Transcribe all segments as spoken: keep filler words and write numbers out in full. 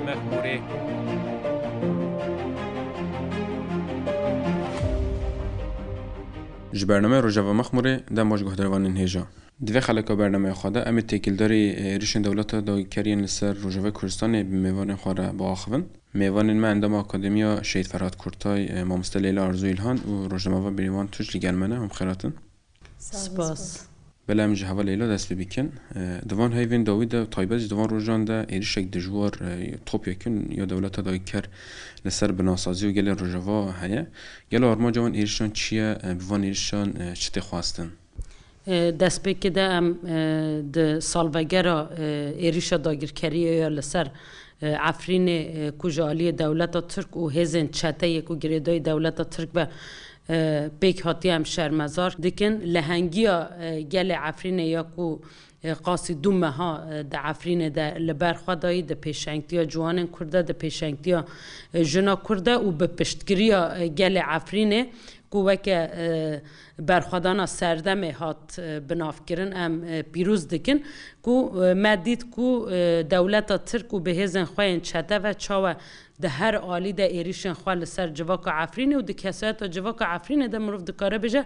Mexmûrê. Ji bernameya Rojava Mexmûrê dem baş guhdarvanên hêja. Di vê xeleka bernameya xwe de em ê têkildarî êrişên dewleta dagirker yên li ser Rojavayê Kurdistanê bi mêvanên xwe re biaxivin. Mêvanên me endama Akademiya Şehîd Ferhat Kurtay, e, mamoste Leyla Arzu Îlhan û rojnameva Bêrîvan Tunç li gel me ne. Hûn bi xêr hatin. Spas. Belê, em ji heval Leyla dest pê bikin. E, di van heyvên dawî de, taybet jî di van rojan de êrişek dijwar, e, topyekûn ya dewleta dagirker li ser binasazî û gelê Rojava heye. Gelo armanca van êrişan çi ye? E, bi van êrişan, e, çi tê xwestin? E, destpêkê de em, e, di salvegera, e, êrişa dagirkeriyê ya li ser, e, Efrînê, e, ku ji aliyê dewleta Tirk û hêzên çeteyê ku girêdayî dewleta Tirk be, e, pêk hatiye em şermezar dikin. Lehengiya, e, gelê Efrînê ya ku, e, qasî du meha, e, di Efrînê de li ber xwe dayî, di pêşengtiya ciwanên Kurd de, di pêşengtiya, e, jina Kurd de û bi piştgiriya, e, gelê Efrînê ku weke, e, berxwedana serdemê hat, e, binavkirin, em, e, pîroz dikin ku, e, me dît ku, e, dewleta Tirk û bi hêzên xwe yên çete ve çawa di her alî de êrîşên xwe li ser civaka Efrînê û di kesayeta civaka Efrînê de mirov dikare bêje,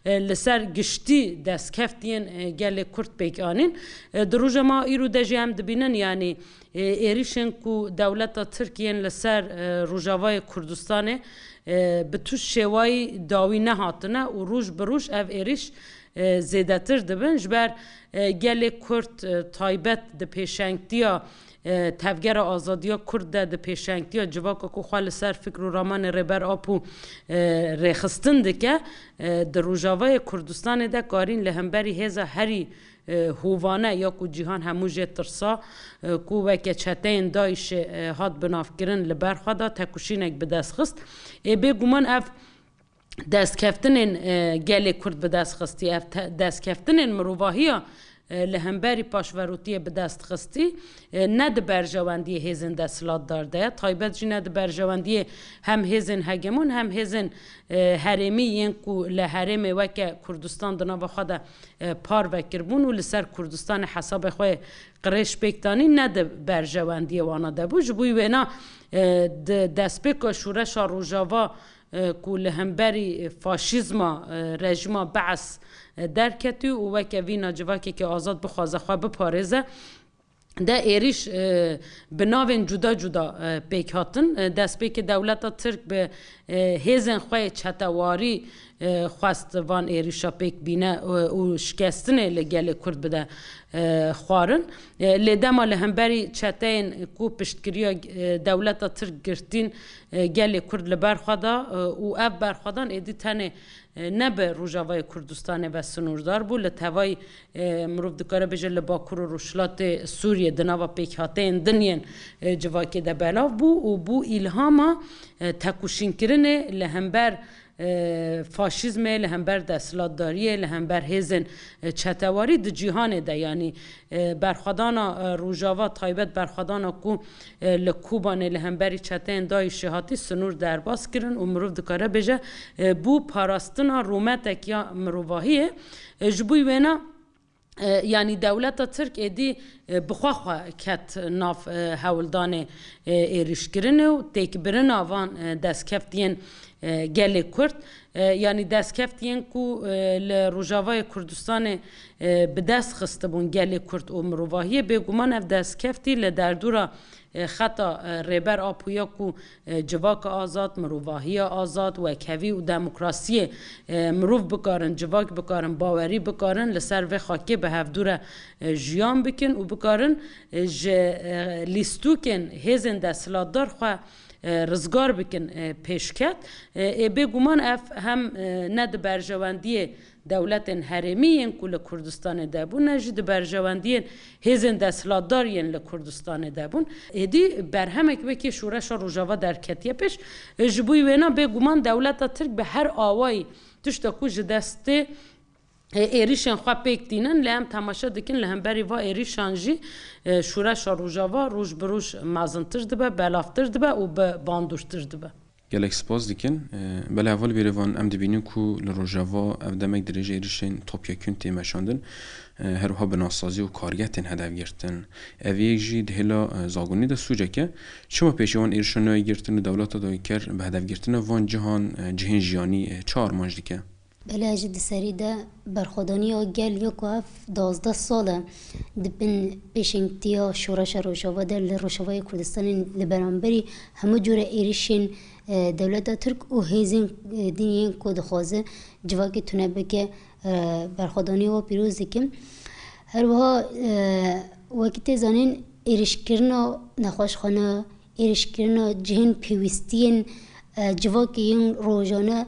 e, li ser giştî destkeft yên, e, gelê Kurd pêk anîn. E, di roja me îro de jî em dibînin, yanî, e, êrîşên ku dewleta Tirk yên li ser, e, Rojavayê Kurdistanê, e, bi tu şêwayî dawî nehatine û roj bi roj ev êrîş, e, zêdetir dibin. Ji ber, e, gelê Kurd, e, taybet di pêşengtiya, e, Tevgera Azadiya Kurd de, di pêşengtiya civaka ku xwe li ser fikr û ramanê Rêber Apo, e, rêxistin dike, e, di Rojavayê Kurdistanê de karîn li hemberî hêza herî, e, hovane ya ku cîhan hemû jê tirsa, e, ku weke çeteyên DAIŞê, e, hat binavkirin, li ber xwe da tekoşînek bi dest xist. Ê bêguman ev destkeftinên, e, gelê Kurd bi dest xistî, ev te-, destkeftinên mirovahiya, e, li hemberî paşverotiyê bi dest xistî, e, ne di berjewendiyê hêzên desthilatdar de ye, taybet jî ne di berjewendiyê hem hêzên hegemon hem hêzên, e, herêmî yên ku li herêmê weke Kurdistan di nava xwe de, e, parve kiribûn û li ser Kurdistanê hesabê xwe qirêj pêk danî ne di berjewendiyê wana de bû. Ji bo wêna, e, di destpêka şoreşa Rojava, e, ku li hemberî faşîzma, e, rejîma Bees, e, derketî û weke vîna civakekî azad bixwaze xwe biparêze, de êrîş, e, bi navên cuda cuda, e, pêk hatin. E, destpêkê dewleta Tirk bi, e, hêzên xwe yê çetewarî, e, xwest van êrîşa pêk bîne, e, û şikestinê li gelê Kurd bide, e, xwarin. E, lê dema li hemberî çeteyên ku piştgiriya, e, dewleta Tirk girtîn, e, gelê Kurd li ber xwe da, e, û ev berxwedan êdî tenê, e, ne bi Rojavayê Kurdistanê ve sinûrdar bû, li tevayî, e, mirov dikare bêje li Bakur û Rojhilatê Sûriyê di nava pêkhateyên din yên, e, civakê de belav bû û bû îlhama, e, tekoşînkirinê li hember, e, faşîzmê, li hember desthilatdariyê, li hember hêzên, e, çetewarî di cîhanê de, yanî, e, berxwedana, e, Rojava, taybet berxwedana ku, e, li Kobanê li hemberî çeteyên DAIŞê hatî sinûr derbas kirin û mirov dikare bêje, e, bû parastina rûmetek ya mirovahiyê. E, ji bo wêna, e, yanî dewleta Tirk êdî, e, bi xwe xwe ket nav, e, hewldanê, e, êrîşkirinê û têkbirina van, e, destkeftiyên, e, gelê Kurd. E, yanî destkeftiyên ku, e, li Rojavayê Kurdistanê, e, bi dest xistibûn gelê Kurd û mirovahiyê, bêguman ev destkeftî li derdora, e, xeta, e, Rêber Apo ya ku, e, civaka azad, mirovahiya azad, wekhevî û demokrasiyê, e, mirov bikarin, civak bikarin, bawerî bikarin, li ser vê xakê bi hevdû re, e, jiyan bikin û bikarin, e, ji, e, lîstûkên hêzên desthilatdar xwe, e, rizgar bikin, e, pêşket. E, ê bêguman ev hem, e, ne di berjewendiyê dewletên herêmî yên ku li Kurdistanê de bûn, ne jî di berjewendiyên hêzên desthilatdar yên li Kurdistanê de bûn. Êdî berhemek wekî şoreşa Rojava derketiye pêş. E, ji bo wêna bêguman dewleta Tirk bi her awayî tişta ku ji destê, e, êrîşên xwe pêk tînin, lê em temaşe dikin li hemberî va êrîşan jî, e, şoreşa Rojava roj bi roj mezintir dibe, belavtir dibe û bi bandortir dibe. Gelek spas dikin. E, belê heval bêrêvan em dibînin ku li Rojava ev demek dirêj êrişên topyekûn tê meşandin. E, her wiha binasazî û kargeh tên hedef girtin. Ev yek jî di hêla, e, zagonî de sûcek e. Çima pêşî wan êrişan nayê girtin û dewleta dagirker bi hedefgirtina van cihan, e, cihên jiyanî, e, çi armanc dike? Belê, ji di serî de berxwedaniya gel ya ku ev duwazdeh sal e di bin pêşengtiya şoreşa Rojava de li Rojavayê Kurdistanê li beramberî hemû cure êrişên, e, dewleta Tirk û hêzên, e, din yên ku dixwaze civakê tune bike, e, berxwedaniya we pîroz dikim. Her wiha, e, wekî tê zanîn êrişkirina nexweşxane, êrişkirina cihên pêwîstiyên, e, civakê yên rojane,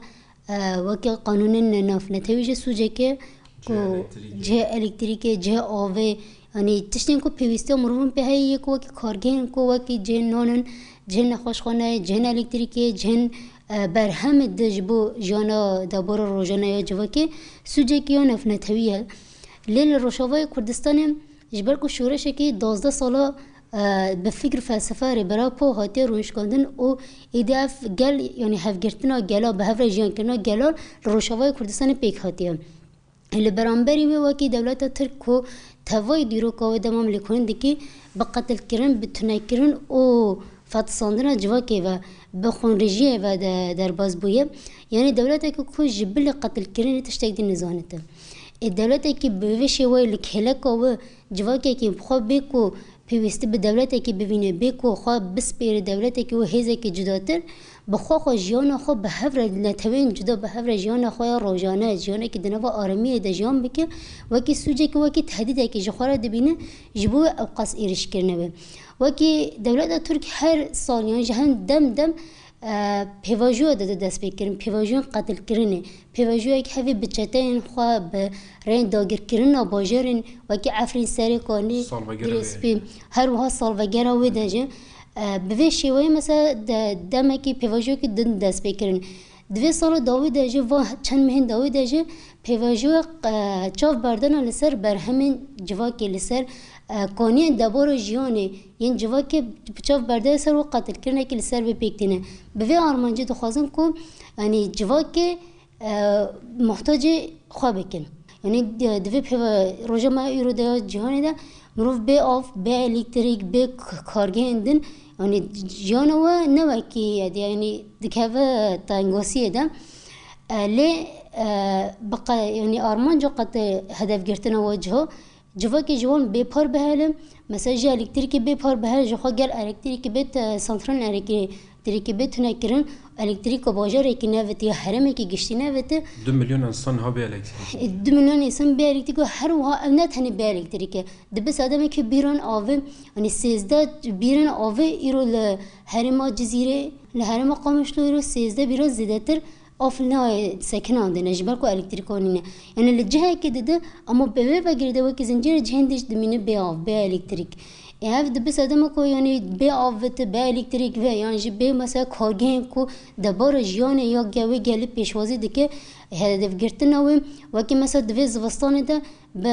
e, weke qanûnên navnetewî jî sûceke ku cihê elektrîkê, cihê elektrîkê, cihê avê, yanî tiştên ku pêwîstiya mirovan pê heye yê ku wekî kargehên ku wekî cihên nan in, cihên nexweşxaneyê, cihên elektrîkê, cihên, e, berhemê di ji bo jiyana debara rojane ya civakê sûcekî ya navnetewî ye. Lê li Rojavayê Kurdistanê ji ber ku şoreşekî duwazdeh sala, e, bi fikr û felsefe Rêbera Po hatiye rûnişkandin û êdî ev gel, yanî hevgirtina gela, bi hev re jiyankirina gela li Rojavayê Kurdistanê pêk hatiye. Li beramberî wê wekî dewleta Tirk ku tevayî dîroka wê dema em lêkolîn dikî, bi qetilkirin, bi tunekirin û fetisandina civakê ve, bi xwînrijiyê ve de derbas bûye. Yanî dewleteke ku ji bilî qetilkirinê tiştek dî nizanite. Ê dewletekî bi vê şêweyê li kêleka wê civakekî bi xwe bê ku pêwîstî bi dewletekî bibîne, bê ku xwe bispêre dewletekî û hêzekî cudatir, bi xwe xwe jiyana xwe bi hev re netewên cuda bi hev re jiyana xwe ya rojane, jiyanekî di nava aramiyê de jiyan bike, wekî sûcekî, wekî tehdîdekî ji xwe re dibîne, ji bo wê ewqas êrişkirine be. Wekî dewleta Tirk her sal yan ji hin dem dem, e, pêvajoya dide destpêkirin, pêvajoyên qetilkirinê, pêvajoyek hevî bi çeteyên xwe, bi rêyên dagirkirina bajarên wekî Efrîn, Serê Kanî, Salvegera wê. Girêspî, her wiha salvegera wê de jî, e, bi vê şêweyê mesela de, demekî pêvajoyekî din dest pê kirin. Di vê sala dawî de jî, va çend mehên dawî de jî pêvajoya, e, çavberdana li ser berhemên civakê, li ser, e, kaniyên debara jiyanê yên civakê çav berdeye ser û qetilkirinekî li ser vê pêk tîne. Bi vê armancê dixwazin ku, yanî civakê, e, muhtacê xwe bikin. Yanî di, di vê pêve roja me îro de ya cîhanê de mirov bê av, bê elektrîk, bê k-, kargehên din, yanî jiyana we ne wekî ye, yanî dikeve tengosiyê de. E, lê, e, bi qe-, yanî armanca qet hedefgirtina we ciho, civakê ji wan bê par bihele, mesela ji elektrîkê bê par bihele, ji xwe gel elektrîkê bê te-, santralên elektrîkê bê tunekirin, elektrîka bajarekî nevite ya herêmekî giştî nevite. Du milyon însan ha bê elektrîkê. E, du milyon însan bê elektrîkê, her wiha ev ne tenê bê elektrîkê. Dibe sedemekî bîran avê, yanî sêzdeh bîran avê îro li herêma Cizîrê, li herêma Qamişlo îro sêzdeh bîran zêdetir av nayê sekinandine, ji ber ku elektrîka nîne. Yanî li cihekê dide, ama bi vê ve girêde wekî zincîrê cihên dî jî dimîne bê av, bê elektrîk. Ê ev dibe sedema ku, yanî bê av ve te, bê elektrîk ve, yan jî bê mesela kargehên ku debara jiyanê ya ge-, wê gelî pêşwazî dike, hedefgirtina wê, wekî mesela di vê zivistanê de bi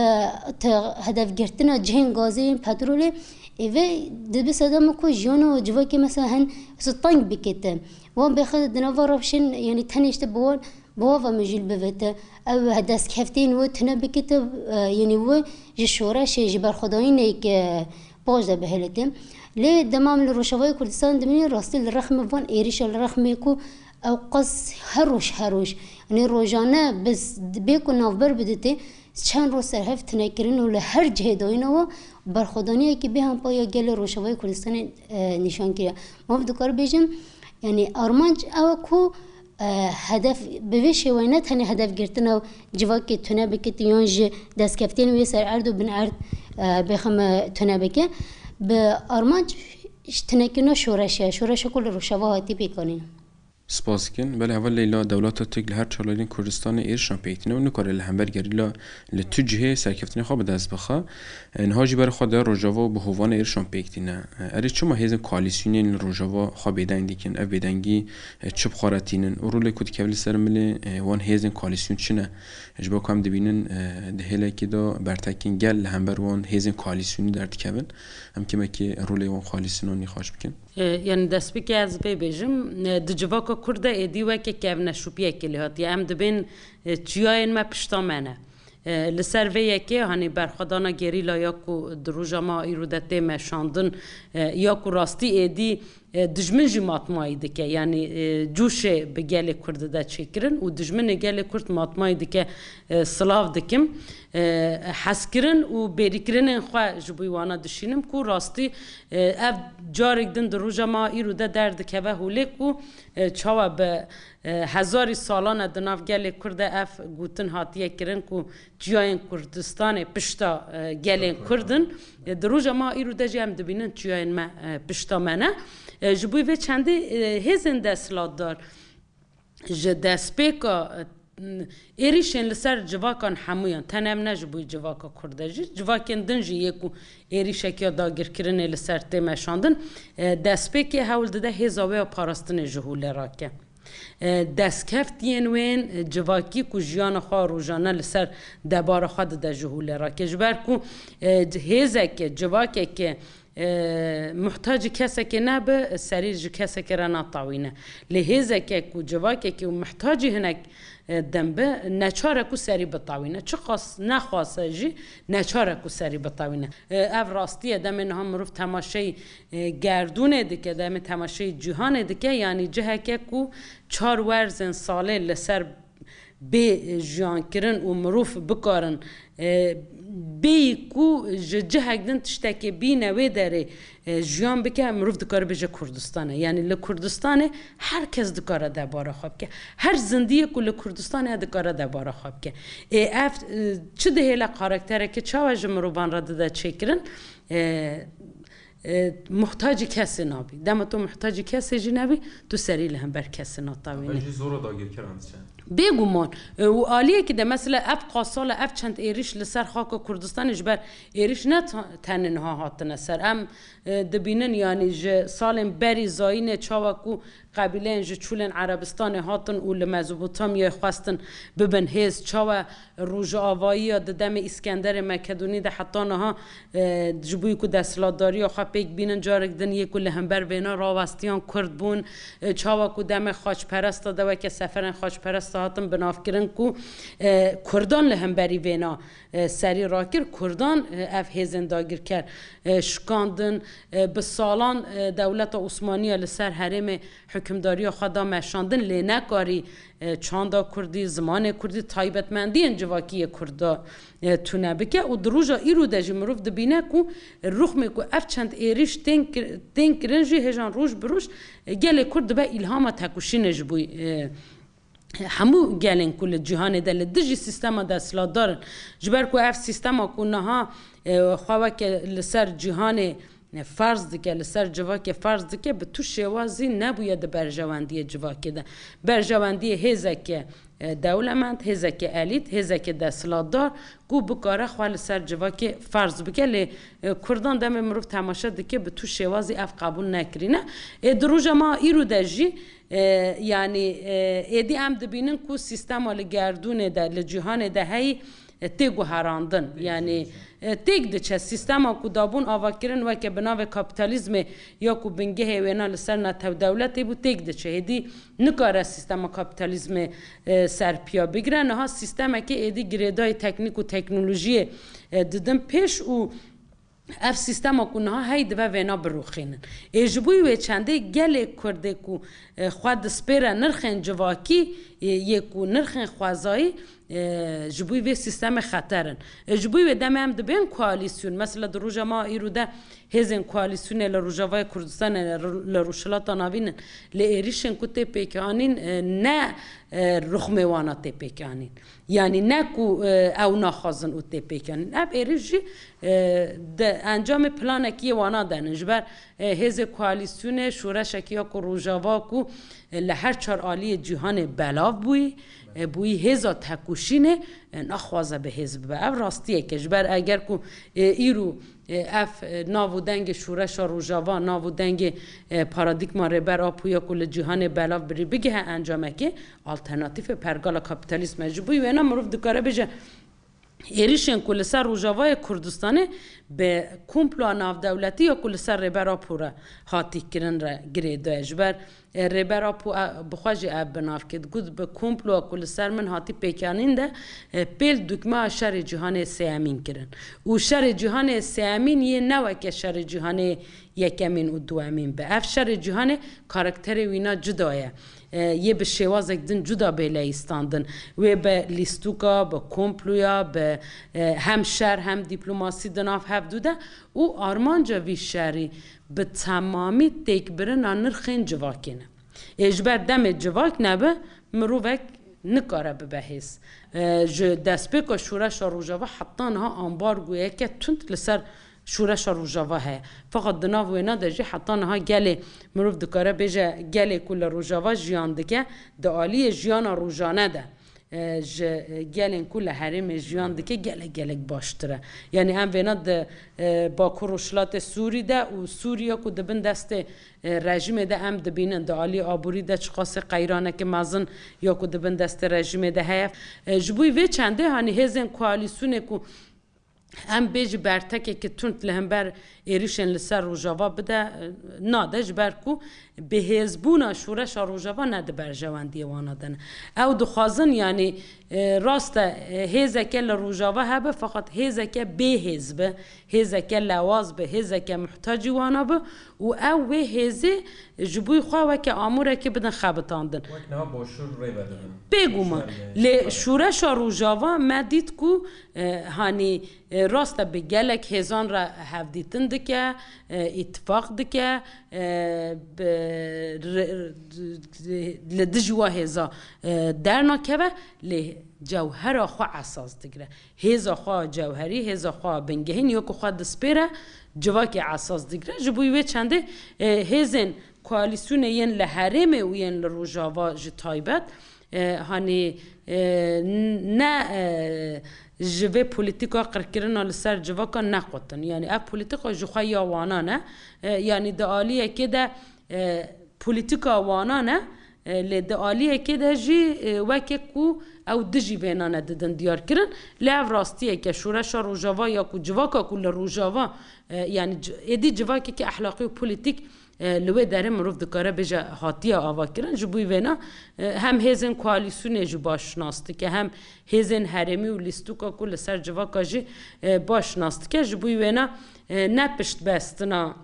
te-, hedefgirtina cihên gazê yên petrolê, ê vê dibe sedema ku jiyana civakê mesela hin teng bikete. Wan bêxe di nava rewşên, yanî tenê işte bi wan, bi wan ve mijûl bivete. Ew destkeftên wê tune bikete, e, yanî wê ji şoreşê, ji berxwedanîneke baş de bihêlite. Lê dema em li Rojavayê Kurdistan dimînin, rastî li rexmê van êrişa, li rexmê ku ewqas her roj, her roj, yanî rojane bi s-, bê ku navber bidite, çend roj serhev tune kirin û li her cihê dayîna we berxwedaniyekî bêhempa ya gelê Rojavayê Kurdistanê, e, nîşan kiriye. Ma dikare bêjin, yanî armanc ew e ku, e, hedef bi vê şêweyê ne tenê hedefgirtina civakê tune bike, yan ji destkeftiyên wê ser erd û bin erd, e, bêxeme tune bike. Bi armanc ji tunekirina şoreşê, şoreşa ku li Rojava hatî pêkanîn. Spas dikin. Belê heval Leyla, dewleta Tirk li her çar layên Kurdistanê êrişan pêk tîne û nikare li hember gerîla li tu cihê serkeftinê xwe bi dest bixe. E, niha jî berê xwe daye Rojava û bi hovane êrişan pêk tîne. E, erê çima hêzên koalîsyonên li Rojava xwe bêdeng dikin? Ev bêdengî, e, çi bi xwe re tînin? Û rolê ku dikeve li ser milê, e, wan hêzên koalîsyon çi ne? Ji bo ku em dibînin, e, di hêlekê de bertekên gel li hember wan hêzên koalîsyonî derdikevin. Em kêmekê rolê wan koalîsyonan nîqaş bikin. E, yanî destpêkê ez vê bêjim, e, di civaka Kurd de êdî weke kevneşopiyekê lê hatiye. Em dibên, e, çiyayên me pişta me ne. E, li ser vê yekê, hanî berxwedana gerîla ya ku di roja me îro de tê meşandin, e, ya ku rastî êdî, e, dijmin jî matmayî dike, yanî, e, cûşê bi gelê Kurd de çêkirin û dijminê gelê Kurd matmayî dike, e, silav dikim. E, hezkirin û bêrîkirinên xwe ji bo wana dişînim ku rastî, e, ev carek din di roja me îro de derdikeve holê ku, e, çawa bi, e, hezarî salan e di nav gelê Kurd de ev gotin hatiye kirin ku çiyayên Kurdistanê pişta, e, gelên Kurd in. E, di roja me îro de jî em dibînin çiyayên me, e, pişta me ne. E, ji bo vê çendê, e, hêzên desthilatdar ji destpêka, e, êrîşên li ser civakan hemûyan, tenê em ne ji bo civaka Kurd e jî, civakên din jî yê ku êrîşek ya dagirkirinê li ser tê meşandin, e, destpêkê hewl dide hêza wê ya parastinê ji holê rake. E, destkeftiyên wên, e, civakî ku jiyana xwe rojane li ser debara xwe dide ji holê rake. Ji ber ku, e, hêzeke, civakeke, e, muhtacî kesekê nebe, serî ji kesekê re natawîne. Lê hêzeke ku civakekî û muhtacî hinek, e, din be, neçar e ku serî bitawîne. Çiqas nexwase jî neçar e ku serî bitawîne. E, ev rastî ye, demê niha mirov temaşeyî, e, gerdûnê dike, demê temaşeyî cîhanê dike, yanî ciheke ku çar werzên salê li ser bê jiyankirin û mirov bikarin, e, bêyî ku ji cihek din tiştekê bîne wê derê, e, jiyan bike, mirov dikare bêje Kurdistan e. Yanî li Kurdistanê her kes dikare debara xwe bike. Her zindiyê ku li Kurdistanê ye dikare debara xwe bike. Ê ev, e, çi dihêle karaktereke çawa ji mirovan re dide çêkirin? E, e, muhtacî kesê nabî. Dema tu muhtacî kesê jî nebî, tu serî li hember kesê natawînî. Ev jî zora dagirkeran diçe. Bêguman. E, û aliyekî de mesela ev qasal e, ev çend êrîş li ser xaka Kurdistanê ji ber êrîş ne ta-, tenê niha hatine ser. Em, e, dibînin, yanî ji salên berî zayînê çawa ku qebîleyên ji çûlên Erebistanê hatin û li Mezopotamyayê xwestin bibin hêz, çawa rojavayiya di demê Îskenderê Mekedonî de heta niha, e, ji bo ku desthilatdariya xwe pêk bînin, carek din yê ku li hember vêna rawestiyan Kurd bûn, e, çawa ku demê xaçperesta de weke seferên xaçperesta hatin binavkirin ku, e, Kurdan li hemberî vêna, e, serî rakir, Kurdan, e, ev hêzên dagirker, e, şikandin, e, bi salan, e, dewleta Osmaniya li ser herêmê hukimdariya xwe da meşandin, lê nekarî, e, çanda kurdî, zimanê kurdî, taybetmendiyên civakî yê kurda, e, tune bike û di roja îro de jî mirov dibîne ku rûxmê ku ev çend êrîş tên kir-, tên kirin jî hêjan roj bi roj, e, gelê kurd dibe îlhama tekoşînê ji bo, e, hemû gelên ku li cîhanê de li dijî sîstema desthilatdar in. Ji ber ku ev sîstema ku niha, e, xwe weke li ser cîhanê, e, ferz dike, li ser civakê ferz dike, bi tu şêwazî nebûye di berjewendiyê civakê de. Berjewendiyê hêzeke, e, dewlemend, hêzeke elît, hêzeke desthilatdar ku bikare xwe li ser civakê ferz bike. Lê, e, Kurdan demê mirov temaşe dike, bi tu şêwazî ev qebûl nekirîne. Ê di roja me îro de jî, e, yanî, e, êdî em dibînin ku sîstema li gerdûnê de, li cîhanê de heyî, e, tê guherandin. Yanî, e, têk diçe. Sîstema ku dabûn avakirin weke bi navê kapîtalîzmê ya ku bingehê wêna li ser netewdewletê bû, têk diçe. Êdî nikare sîstema kapîtalîzmê, e, serpiya bigire. Niha sîstemekê êdî girêdayî teknîk û teknolojiyê, e, didin pêş û ev sîstema ku niha heyî dibe vêna birûxînin. Ê ji bo wê çendê gelê Kurdê ku, e, xwe dispêre nirxên civakî, e, yê ku nirxên xwezayî, e, ji bo vê sîstemê xeter in. E, ji bo wê demê em dibên koalîsyon. Mesela di roja me îro de hêzên koalîsyonê li Rojavayê Kurdistanê, li Ro-, li Rojhilata Navîn in. Lê êrîşên ku tê pêkanîn, e, ne, e, rûxmê wana tê pêkanîn. Yanî ne ku, e, ew naxwazin û tê pêkanîn. Ev êrîş jî, e, di encamê planekî yê wana de ne. Ji ber, e, hêzê koalîsyonê şoreşekî ya ku Rojava ku, e, li her çar aliyê cîhanê belav bûyî, e, bûyî hêza tekoşînê, e, naxwaze bi hêz bibe. Ev rastiyek e. Ji ber eger ku, e, îro, e, ev, e, nav û dengê şoreşa Rojava, nav û dengê, e, paradîgma Rêber Apo ya ku li cîhanê belav birî bigihe encamekê, alternatîfê pergala kapîtalîzm e. Ji bo wêna mirov dikare bêje, êrîşên ku li ser Rojavayê Kurdistanê bi komploa navdewletî ya ku li ser Rêber Apo re hatî kirin re girêdaye. Ji ber, e, Rêber Apo, e, bi xwe jî ev bi nav kir. Got, bi komploa ku li ser min hatî pêkanîn de, e, pêl dukmeya şerê cîhanê sêyemîn kirin. Û şerê cîhanê sêyemîn yê ne weke şerê cîhanê yekemîn û duwemîn be. Ev şerê cîhanê karakterê wîna cuda ye. E, yê bi şêwazek din cuda bê leyîstandin. Wê bi lîstûka, bi komploya, bi, e, hem şer hem dîplomasî di nav hevdû de û armanca vî şerî bi temamî têkbirina nirxên civakê ne. Ê ji ber demê civak nebe, mirovek nikare bibe hêz. E, ji destpêka şoreşa Rojava heta niha ambargoyeke tund li ser şoreşa Rojava heye. Feqet di nav wêna de jî heta niha gelê, mirov dikare bêje, gelê ku li Rojava jiyan dike, di aliyê jiyana rojane de, e, ji gelên ku li herêmê jiyan dike gelek gelek baştir e. Yanî em vêna di, e, Bakur Rojhilatê Sûrî de û Sûriya ku di bin destê, e, rejîmê de em dibînin, di aliyê aborî de çiqasê qeyraneke mezin ya ku di bin destê rejîmê de heye. E, ji bo vê çendê, hanî hêzên koalîsyonê ku em bêjî bertekekî tund li hember êrîşên li ser Rojava bide, e, nade, ji ber ku bihêzbûna şoreşa Rojava ne di berjewendiyê wana de ne. Ew dixwazin, yanî, e, rast e, e, hêzeke li Rojava hebe, feqet hêzeke bêhêz be, hêzeke lewaz be, hêzeke muhtacî wana be û ew wê hêzê ji bo xwe weke amûrekê bidin xebitandin. Wek niha Başûr rê vedibin. Bêguman. Başûr Lê rê şoreşa Rojava me dît ku, e, hanî, e, rast e, bi gelek hêzan re hevdîtin dike, e, îtifaq dike, e, bi, re-, li dijî wa hêza, e, dernakeve, lê cewhera xwe esas digire. Hêza xwe cewherî, hêza xwe bingehîn, ya ku xwe dispêre, civakê esas digire. Ji bo wê çendê, e, hêzên koalîsyonê yên li herêmê û yên li Rojava ji taybet, e, hanî, e, ne, e, ji vê polîtîka qirkirina li ser civaka nequtin. Yanî ev polîtîka ji xwe ya wana ne. E, yanî di aliyekê de, e, polîtîka wana ne, e, lê di aliyekê de jî, e, weke ku ew dijî vêna ne didin diyar kirin. Lê ev rastiyeke şoreşa Rojava ya ku civaka ku li Rojava, e, yanî c-, êdî civakeke ehlaqî û polîtîk, e, li wê derê mirov dikare bêje hatiye ava kirin. Ji bo vêna, e, hem hêzên koalîsyonê jî baş nas dike, hem hêzên herêmî û lîstûka ku li ser civaka jî, e, baş nas dike. Ji bo wêna, e, ne piştbestina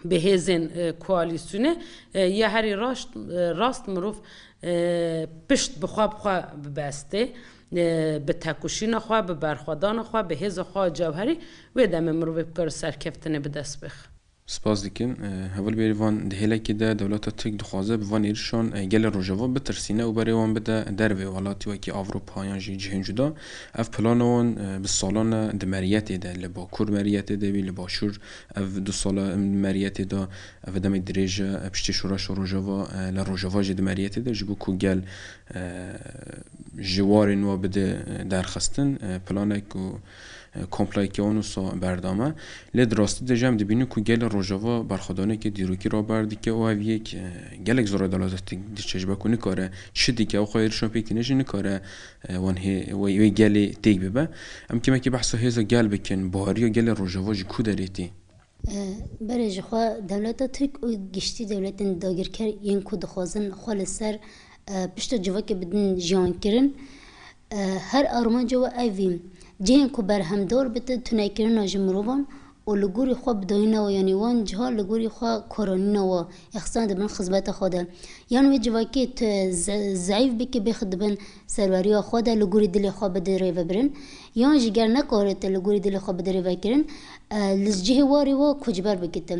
bi hêzên, e, koalîsyonê, e, ya herî raşt, e, rast mirov, e, pişt bi xwe bi xwe bibestê, e, bi tekoşîna xwe, bi berxwedana xwe, bi hêza xwe cewherî, wê demê mirovê bikare serkeftinê bi dest bêxe. Spas dikim. E, heval Bêrîvan, di hêlekê de dewleta Tirk dixwaze bi van êrişan, e, gelê Rojava bitirsîne û berê wan bide dervê welatî wekî Avropa yan jî cihên cuda. Ev plana wan, e, bi salan e di meriyetê de, li Bakur meriyetê de bî, li Başûr ev du sala em meriyetê de, ev demê dirêj e, piştî şoreşa Rojava, e, li Rojava jî di meriyetê de, ji bo ku gel, e, ji warên wa bide, e, derxistin, e, planek û, e, komployeke wan wisa berdame. Lê di rastî de jî em dibînin ku gelê Rojava berxwedaneke dîrokî raber dike û ev yek, e, gelek zor e dewleta Tirk diçe, ji ber ku nikare çi dike, ew xwe êrişan pêk tîne jî nikare, e, wan hê-, wê, wê gelê têk bibe. Em kêmekî behsa hêza gel bikin, baweriya gelê Rojava ji ku derê tê? E, berê jixwe dewleta Tirk û giştî dewletên dagirker yên ku dixwazin xwe li ser, e, pişta civakê bidin jiyankirin, e, her armanca we ev e, cihên ku berhemdar bite tunekirina ji mirovan û li gorî xwe bidayîna we, yanî wan ciha li gorî xwe karanîna we, ê xistina dibin xizmeta xwe de. Yan wê civakê tu ze-, zeîf bike, bêxe dibin serweriya xwe de, li gorî dilê xwe bide rêvebirin. Yan jî ger nekare tu li gorî dilê xwe bide rêvekirin, e, li cihê warê we koçber bike tu.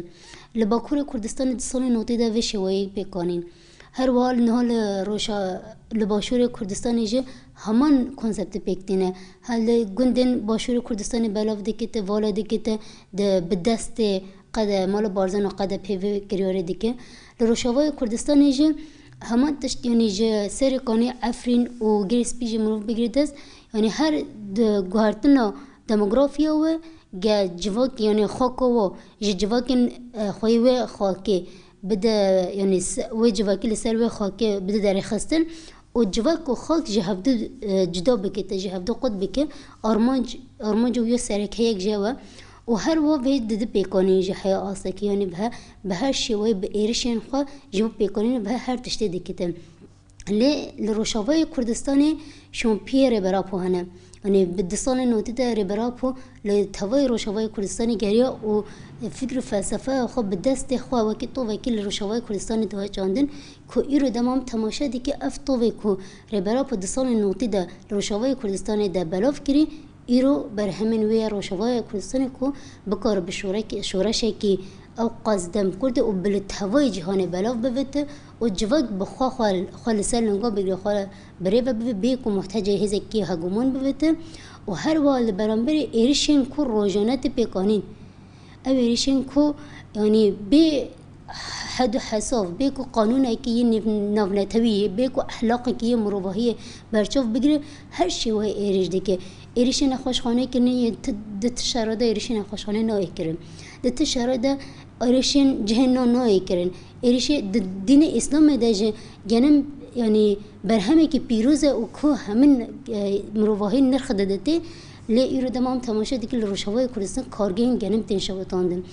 Li Bakurê Kurdistanê di salên notî de vê şêweyê pêk anîn. Her wiha li niha li roja, li Başûrê Kurdistanê jî heman konseptê pêk tîne. Ha li gundên Başûrê Kurdistanê belav dikite, vala dikite, di, bi destê qede, mala Barzan û qede pê vê kiryarê dike. Li Rojavayê Kurdistanê jî heman tişt, yanî ji Serê Kanê, Efrîn û Girê Spî jî mirov bigire dest. Yanî her di guhertina demografiya we, ge civak, yanî xaka we ji civakên, e, xweyê wê xakê bide, yanî se-, wê civakî li ser wê xakê bide derêxistin û civak û xak ji hevdu, e, cuda bike, te ji hevdu qut bike, armanc, armanc û ya sereke yek jê we. Û her wa vê di du pêkanî ji heya astekî, yanî bi he-, bi her şêweyê bi êrişên xwe ji bo pêkanîn bi he-, her tiştê dikite. Lê li Rojavayê Kurdistanê şompiyê Rêber Apo hene. Yanî bi di salên notî de Rêber Apo li tevayê Rojavayê Kurdistanê geriya û fikr û felsefeya xwe bi destê xwe wekî tovekî li Rojavayê Kurdistanê diwe çandin, ku îro dema em temaşe dike ev tovê ku Rêber Apo di salên notî de li Rojavayê Kurdistanê de belav kirî, îro berhemên wê ya Rojavayê Kurdistanê ku bikare bi şorek-, şoreşekî ew qas dem kurde û bi li tevayê cîhanê belav bivite û civak bi xwe, xwe, xwe li ser linga bigire, xwe birêve bibe, bê ku muhtecê hêzekî hegemon bivite û her wiha li beramberî êrişên ku rojane tê pêkanîn. Ew êrişên ku, yanî, bê hed û hesav, bê ku qanûnekî yê nêv-, navnetewî yê, bê ku ehlaqekî yê mirovahiyê berçav bigire, her şêweyê êrîş dike. Êrişê nexweşxanê kirinê yê ti-, di ti şera de êrişê nexweşxanê nayê kirin. Di ti şera de êrişên cihê na nayê kirin. Êrişê di dînê Îslamê de jî genim, yanî, berhemekî pîroz e û ku hemin, e, mirovahî nirx diditê. Lê îro dema em temaşe dikin li Rojavayê Kurdistan kargehên genim tên şewitandin.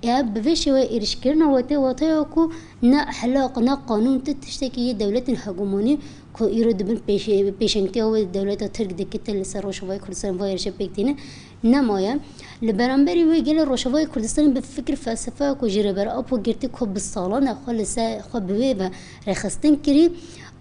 Ev bi vê şêweyê êrişkirina wê tê wateya ku ne ehlaq, ne qanûn, ti tiştekî yê dewletên hegemonî ku îro di bin pêşe-, pêşengtiya wê dewleta Tirk dikite li ser Rojavayê Kurdistanê va êrişe pêk tîne, nemaye. Li beramberî wê gelê Rojavayê Kurdistanê bi fikir felsefeya ku ji Rêber Apo girtî ku bi salan e xwe li ser xwe bi wê ve rêxistin kirî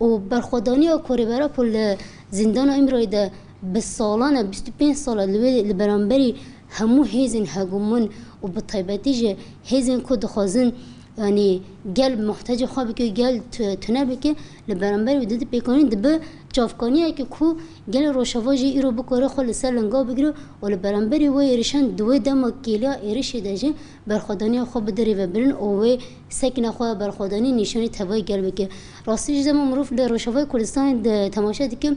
û berxwedaniya ku Rêber Apo li zîndana Îmralî de bi salan e, bîst û pênc sal e li wê, li beramberî hemû hêzên hegemon û bi taybetî jî hêzên ku dixwazin, yanî, gel muhtecê xwe bike, gel tu-, tune bike, li beramberî wê di di pêkanîn dibe çavkaniyeke ku gelê Rojava jî îro bikare xwe li ser linga bigire û li beramberî wê êrişan di wê dema kêliya êrişê de jî berxwedaniya xwe bide rêvebirin û wê sekine xwe ya berxwedanî nîşanî tevayê gel bike. Rastî jî dema mirov li Rojavayê Kurdistanê de temaşe dike,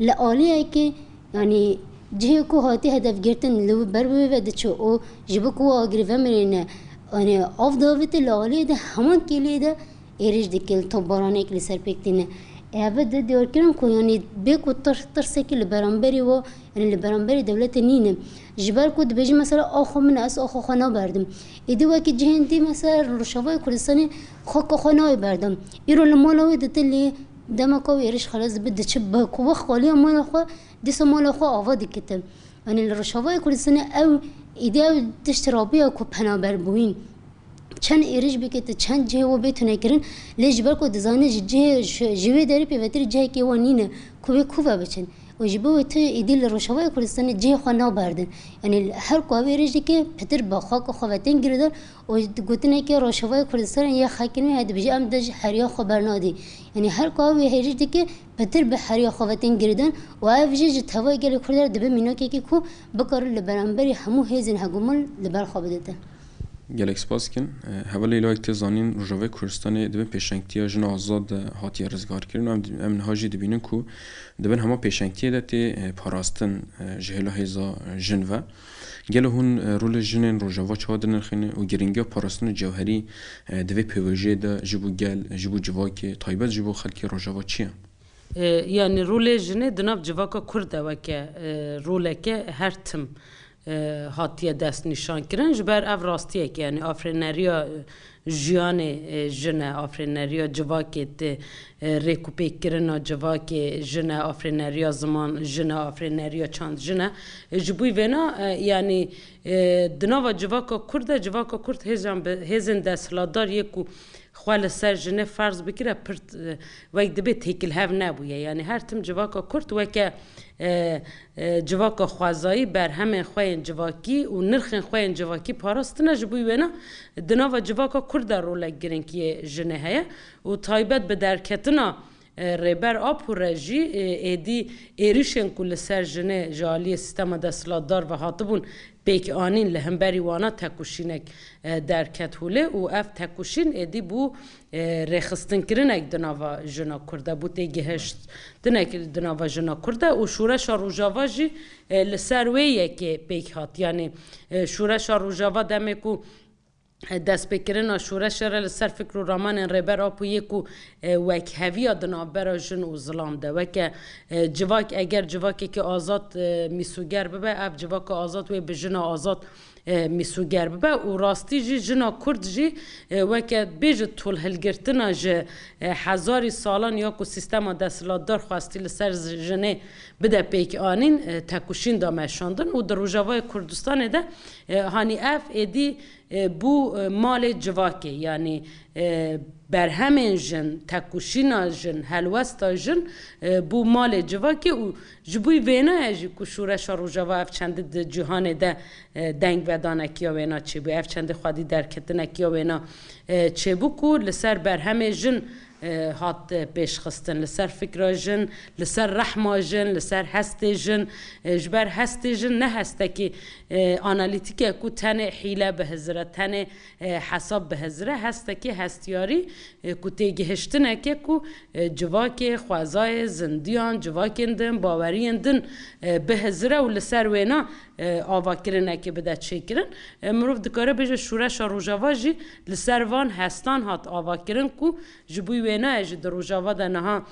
li aliyekê, yanî, cihê ku hatî hedefgirtin li ber wê ve diçe û ji bo ku agirî vemirîne, yanî, av davête, li aliyê de heman kêliyê de êrîş dike, li topbaranekî li ser pêk tîne. Ev di diyarkirin ku, yanî, bê ku tir-, tirsekî li beramberî we, yanî, li beramberî dewletê nîne. Ji ber ku dibêjî, mesela, axa min e, ez axa xwe naberdim. Êdî wekî cihên dî, mesela, li Rojavayê Kurdistanê xaka xwe nayê berdan. Îro li mala wê dite, lê demeka wê êrîş xelas dibe, diçe bi ku wext xaliya mala xwe, dîsa mala xwe ava dikite. Yanî li Rojavayê Kurdistanê ew îdî ew tişt rabiya ku penaberbûyîn. Çend êrîş bike, tu çend cihê we bê tunekirin, lê ji ber ku dizane ji cihê, ji, ji wê derê pêvetirî cihekê wan nîne ku wê ku ve biçin. Û ji bo wê tu êdî li Rojavayê Kurdistanê cihê xwe naberdin. Yanî her ku ev êrîş dike, pitir bi xaka xwe ve tên girêdan û gotineke Rojavayê Kurdistanê ya xelkên wê heye dibêje, em de ji heriya xwe bernadî. Yanî her ku ew êrîş dike, pitir bi heriya xwe ve tên girêdan û ev jî ji tevayê gelê Kurd re dibe mînakekî ku bikare li beramberî hemû hêzên hegemon li ber xwe bidite. Gelek spas dikin. E, hevalê Lewek tê zanîn, Rojavayê Kurdistanê di bin pêşengtiya Jina Azad de hatiye rizgarkirin. Em, em niha jî dibînin ku di bin hema pêşengtiyê de tê, e, parastin, e, ji hêla hêza, e, jin ve. Gelo hûn, e, rolê jinên Rojava çawa dinirxîne û giringiya parastina cewherî, e, di vê pêvajoyê de ji bo gel, ji bo civakê, taybet ji bo xelkê Rojava çi ye? E, yanî rolê jinê di nav civaka Kurd de weke, e, roleke her tim, e, hatiye destnîşankirin. Ji ber ev rastiyek e, yanî afirîneriya, e, jiyanê, e, jin e, afirîneriya civakê tê, e, rêkûpêkirina civakê jin e, afirîneriya ziman jin e, afirîneriya çand jin e. E, ji bo vêna, e, yanî, e, di nava civaka Kurd de, civaka Kurd hêzan bi, hêzên desthilatdar yê ku xwe li ser jinê ferz bikire, pir, e, wek dibê têkilhev nebûye. Yanî her tim civaka Kurd weke, e, e, civaka xwezayî berhemên xwe yên civakî û nirxên xwe yên civakî parastine, ji bo wêna di nava civaka Kurd de rolek girîng yê jinê heye û taybet bi derketina, e, Rêber Apo re jî, e, êdî êrişên ku li ser jinê ji aliyê sîstema desthilatdar ve hatibûn pêk anîn, li hemberî wana tekoşînek, e, derket holê û ev tekoşîn êdî bû, e, rêxistinkirinek di nava jina Kurd de, bû têgihiştinek di nava jina Kurd de û şoreşa Rojava jî, e, li ser wê yekê pêk hat. Yanî, e, şoreşa Rojava demê ku e, destpêkirina şoreşê re li ser fikr û ramanên Rêber Apo yê ku, e, wekheviya di navbera jin û zilam de. Weke, e, civak, eger civakekî azad, e, mîsoger bibe, ev civaka azad wê bi jina azad, e, mîsoger bibe û rastî jî jina Kurd jî, e, weke bêje tolhilgirtina ji, e, hezarî salan ya ku sîstema desthilatdar xwestî li ser zi-, jinê bide pêkanîn, e, tekoşîn da meşandin û di Rojavayê Kurdistanê de, e, hanî ev êdî, e, bû, e, malê civakê, yanî, e, berhemên jin, tekoşîna jin, helwesta jin, e, bû malê civakê û ji bo wêna ye jî ku şoreşa Rojava ev çendî di cîhanê de, e, dengvedanekiya wêna çêbû, ev çendî xwedî derketinekiya wêna, e, çêbû ku li ser berhemê jin, e, hat, e, pêşxistin, li ser fikra jin, li ser rehma jin, li ser hestê jin, e, ji ber hestê jin ne hestekî, e, analîtîk e ku tenê hîle bihizire, tenê, e, hesab bihizire, hestekî hestiyarî, e, ku têgihiştineke ku, e, civakê, xwezayê, zindiyan, civakên din, baweriyên din, e, bihizire û li ser wêna, e, avakirinekê bide çêkirin. E, mirov dikare bêje şoreşa Rojava jî li ser van hestan hat avakirin ku ji bo wêna ye jî di Rojava de niha,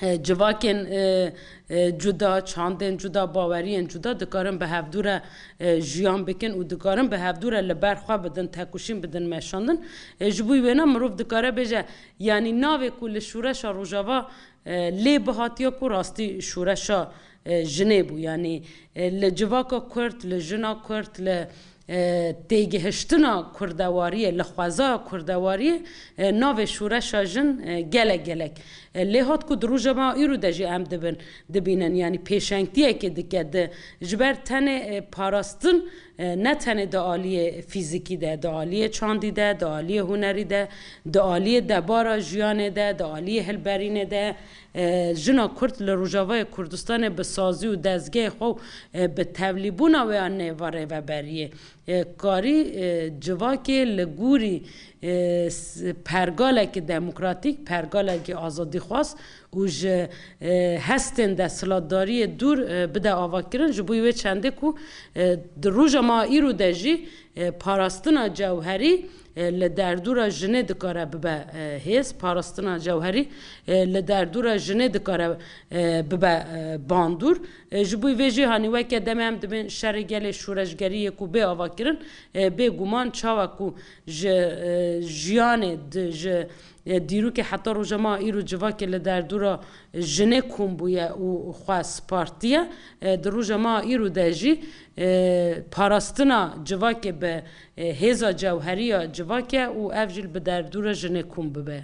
e, civakên, e, e, cuda, çandên cuda, baweriyên cuda dikarin bi hevdû re, e, jiyan bikin û dikarin bi hevdû re li ber xwe bidin, tekoşîn bidin meşandin. E, ji bo wêna mirov dikare bêje, yanî navê ku li şoreşa Rojava, e, lê bihatiya ku rastî şoreşa, e, jinê bû. Yanî, e, li civaka Kurd, li jina Kurd, li, e, têgihiştina kurdewariyê, li xwezaya kurdewariyê, e, navê şoreşa jin, e, gelek gelek, e, lê hat ku di roja me îro de jî em dibin, dibînin. Yanî pêşengtiyekê dike di, ji ber tenê, e, parastin, e, ne tenê di aliyê fîzikî de, di aliyê çandî de, di aliyê hunerî de, di aliyê debara jiyanê de, di aliyê hilberînê de, e, jina Kurd li Rojavayê Kurdistanê bi sazî û dezgehê xwe, e, bi tevlîbûna wê ya nêva rêveberiyê, e, karî, e, civakê li gorî, e, s-, pergalekî demokratîk, pergalekî azadîxwaz û ji, e, hestên desthilatdariyê dûr, e, bide avakirin. Ji bo wê çendê ku, e, di roja me îro de jî, e, parastina cewherî, e, li derdora jinê dikare bibe, e, hêz, parastina cewherî, e, li derdora jinê dikare, e, bibe, e, bandor. E, ji bo vê jî hanî weke demê em dibên şerê gelê şoreşgerî yê ku bê avakirin, e, bêguman çawa ku ji, e, jiyanê di, ji, e, dîrokê heta roja me îro civakê li derdora jinê kom bûye û xwe spartiye, e, di roja me îro de jî, e, parastina civakê bi, e, hêza cewherî ya civakê û ev jî li bi derdora jinê kom bibe.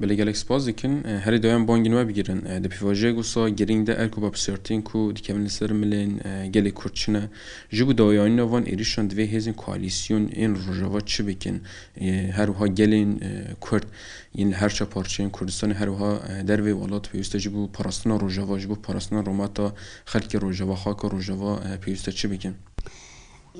Belê, gelek spas dikin. E, herî dawî em bangên we bigirin. E, di pêvajoyek wisa girîng de erk û bapsiyartiyên ku dikevin li ser milên, e, gelê Kurd çi ne? Ji bo dawiyanîna van êrîşan divê hêzên koalîsyon ên Rojava çi bikin? E, her wiha gelên, e, Kurd yên li her çar parçeyên Kurdistanê, her wiha, e, dervê welat pêwîst e ji bo parastina Rojava, ji bo parastina rûmeta xelkê Rojava, xaka Rojava, e, pêwîst e çi bikin?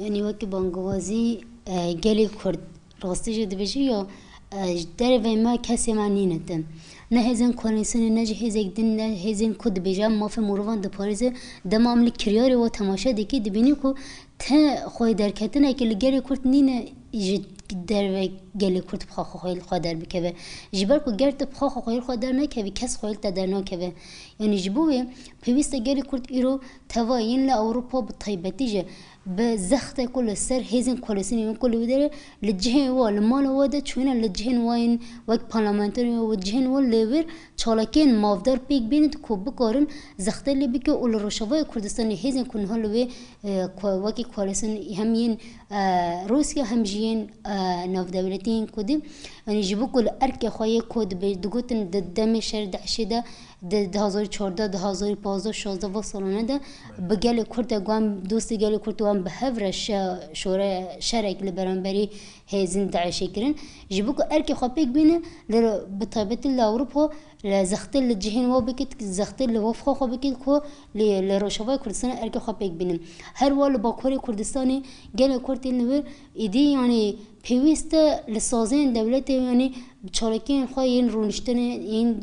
Yanî wekî bangewazî, e, gelê Kurd rastî jî dibêje ya, e, ji dervê me kesê me nîne tim. Ne hêzên koalîsyonê, ne jî hêzek din, ne hêzên ku dibêje em mafê mirovan diparêze, dema em li kiryarê we temaşe dikî, dibînî ku te xweyderketinekê li gelê Kurd nîne ji derve gelê Kurd bi xaxa xwe li xwe derbikeve. Ji ber ku ger tu bi xaxa xwe li xwe dernekevî, kes xwe li te dernakeve. Yanî ji bo wê pêwîst e gelê Kurd îro teva yên li Ewropa bi taybetî jî bi zexte ku li ser hêzên koalîsyonê yên ku li wê derê li cihên wa, li mala wa de çûyîne li cihên wa yên wek parlamenterê û cihên wa lê wir çalakiyên mafdar pêk bînin ku bikarin zextê lê bike û li Rojavayê Kurdistanê hêzên ku niha li wê, e, ko-, wekî koalîsyon hem yên, e, Rûsya hem jî yên, e, navdewletî yên Kurdî, yanî ji bo ku li erkê xwe yê ku dibe-, digotin di demê şer DAIŞê de, di du hazar û çardeh, du hazar û pazdeh, şazdeh va salane de bi gelê Kurd de wan, dostê gelê Kurd wan bi hev re şe-, şore-, şerek li beramberî hêzên DAIŞê kirin. Ji bo ku erkê xwe pêk bîne, li, bi taybetî li Ewropa, li zextê li cihên wa bikit, zextê li wefqa xwe bikit ku li, li Rojavayê Kurdistanê erkê xwe pêk bînin. Her wa li Bakurê Kurdistanê gelê Kurd yên li wir êdî, yanî pêwîst e li saziyên dewletê, yanî çalakiyên xwe yên rûniştinê, yên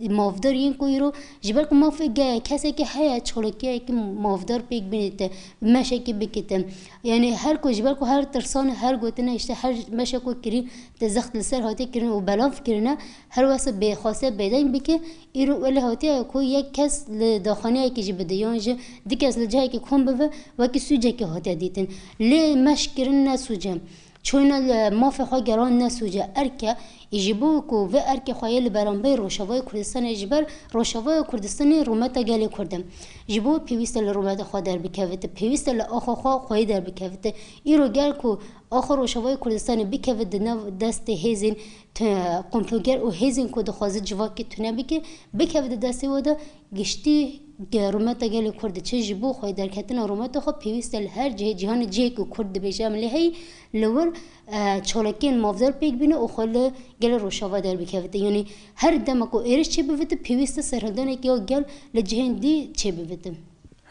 mafdar yên ku îro, ji ber ku mafê ge-, kesekî heye, çalakiyekî mafdar pêk bînîte, meşekî bikite. Yanî her ku, ji ber ku her tirsan, her gotine, işte her meşe ku kirî, te zext li ser hatiye kirin û belav kirine, her wesa bê xwestiye bêdeng bike, îro wele hatiye ku yek kes li daxaneyekî jî bide, yan jî du kes li cihekî kom bibe, wekî sûcekî hatiye dîtin. Lê meş kirin ne sûc e. Çûyîna li mafê xwe gelan ne sûc e. Erk e, ê ji bo ku vê erkê xwe yê li beramberî Rojavayê Kurdistanê, ji ber Rojavaya Kurdistanê rûmeta gelê Kurd e. Ji bo pêwîst e li rûmeta xwe derbikevite, pêwîst e li axa xwe xweyî derbikevite. Îro gel ku axa Rojavayê Kurdistanê bikeve di nav destê hêzên te-, komploger û hêzên ku dixwaze civakê tune bike, bikeve di destê we de, giştî ge-, rûmeta gelê Kurd diçe, ji bo xweyî derketina rûmeta xwe pêwîst e li her cihê cîhanê, cihê ku Kurd dibêje em lê heyî, li wir, e, çalakiyên mafdar pêk bîne û xwe li gelê Rojava derbikevite. Yanî her dema ku êriş çêbivite, pêwîst e serhildanekî ya gel li cihên dî çêbivite.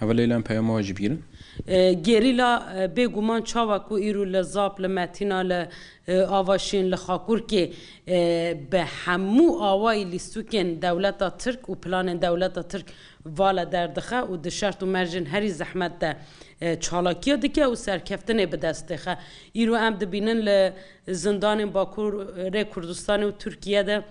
Hevalê Leyla, em peyama we jî bigirin. E, gerîla, e, bêguman çawa ku îro li Zap, li Metîna, li, e, Avaşîn, li Xakurkê, e, bi hemû awayî lîstûkên dewleta Tirk û planên dewleta Tirk vala derdixe û di şert û mercên herî zehmet de, e, çalakiya dike û serkeftinê bi dest dixe. Îro em dibînin li zindanên Bakurê Kurdistanê û Tirkiye de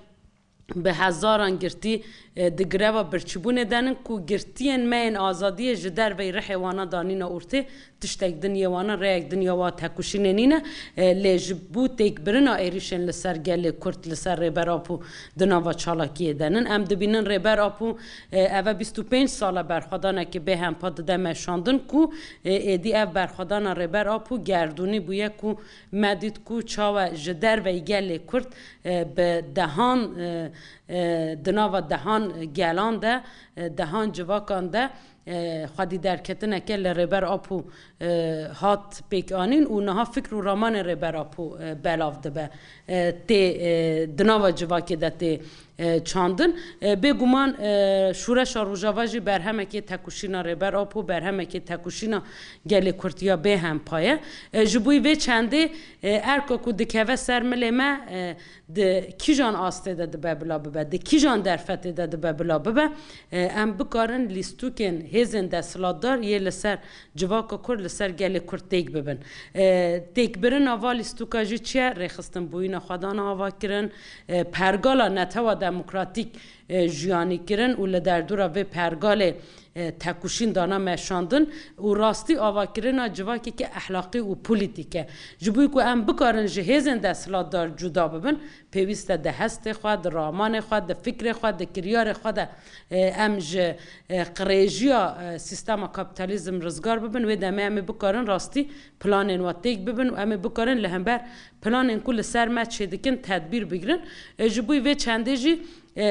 bi hezaran girtî, e, di greva birçîbûnê de nin ku girtiyên me yên azadiyê ji derveyî rihê wana danîne ortê, tiştek din yê wana, rêyek din ya wa tekoşînê nîne, e, lê ji bo têkbirina êrîşên li ser gelê Kurd, li ser Rêber Apo di nava çalakiyê de nin. Em dibînin Rêber Apo, e, eve bîst û pênc sal e berxwedanekê bêhempa dide meşandin ku, e, êdî ev berxwedana Rêber Apo gerdûnî bûye ku me dît ku çawa ji derveyî gelê Kurd, e, bi dehan, e, e, di nava dehan gelan de, e, dehan civakan de, e, xwedî derketineke li Rêber Apo, e, hat pêkanîn û niha fikr û ramanên Rêber Apo, e, belav dibe, e, tê, e, di nava civakê de tê, e, çandin. E, bêguman, e, Şûreşa Rojava jî berhemekê tekoşîna Rêber Apo, berhemekê tekoşîna gelê Kurd ya bêhempa ye. E, ji bo vê çendê, e, erka ku dikeve ser milê me, e, di kîjan astê de dibe bila bibe, di kîjan derfetê de dibe bila bibe, e, em bikarin lîstûkên hêzên desthilatdar yê li ser civaka Kurd, li ser gelê Kurd têk bibin. E, têkbirina va lîstûka jî çi ye? Rêxistinbûyîna xwedana avakirin, e, pergala netewa demokratîk, e, jiyanîkirin û li derdora vê pergalê, e, tekoşîn dana meşandin û rastî avakirina civakeke ehlaqî û polîtîk e. Ji bo ku em bikarin ji hêzên desthilatdar cuda bibin, pêwîst e di hestê xwe, di ramanê xwe, di fikrê xwe, di kiryarê xwe de, e, em ji, e, qirêjiya, e, sîstema kapîtalîzm rizgar bibin, wê demê em ê bikarin rastî planên we têk bibin û em ê bikarin li hember planên ku li ser me çêdikin tedbîr bigirin. E, ji bo vê çendê jî, e,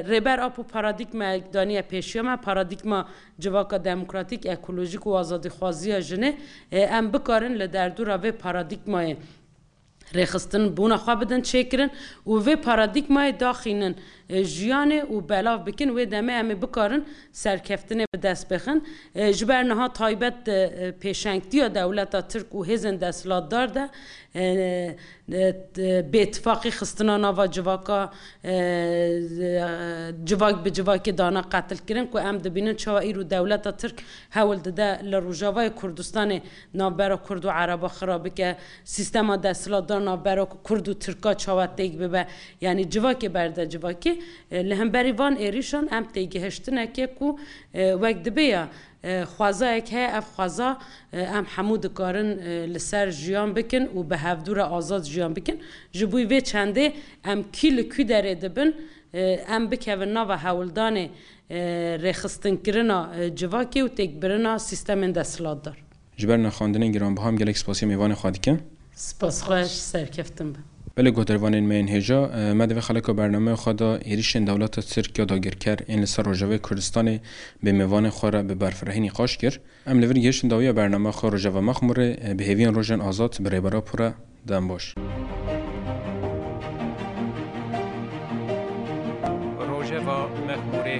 Rêber Apo paradîgmayek daniye pêşiya me, paradîgma civaka demokratîk, ekolojîk û azadîxwaziya jinê, e, em bikarin li derdora vê paradîgmayê rêxistinbûna xwe bidin çêkirin û vê paradîgmayê daxînin, e, jiyanê û belav bikin, wê demê em ê bikarin serkeftinê bi dest bixin. E, ji ber niha taybet di, e, pêşengtiya dewleta Tirk û hêzên desthilatdar de, e, e, bêtifaqî xistina nava civaka, e, civak bi civakê dana qetilkirin ku em dibînin çawa îro dewleta Tirk hewl dide li Rojavayê Kurdistanê navbera Kurd û Ereba xira bike, sîstema desthilatdar navbera Kurd û Tirka çawa têk bibe, yanî civakê berde civakê. E, li hemberî van êrîşan em têgihiştineke ku, e, wek dibe ya, e, xwezayek heye, ev xweza, e, em hemû dikarin, e, li ser jiyan bikin û bi hevdû re azad jiyan bikin. Ji bo vê çendê em kî li kû derê dibin, e, em bikevin nava hewldanê, e, rêxistinkirina, e, civakê û têkbirina sîstemên desthilatdar. Ji ber nirxandinên giranbiha em gelek spasiya mêvanê xwe dikin. Spas xweş, serkeftin be. Belê guhdarvanên me yên hêja, e, me di vê xeleka bernameya xwe de êrîşên dewleta Tirk ya dagirker ên li ser Rojavayê Kurdistanê bi mêvanên xwe re bi berfirehî nîqaş kir. Em li vir gihiştin dawiya bernameya xwe Rojava Mexmûrê, e, bi hêviyên rojên azad bi Rêber Apo re. Dem baş. Rojeva Mexmûrê.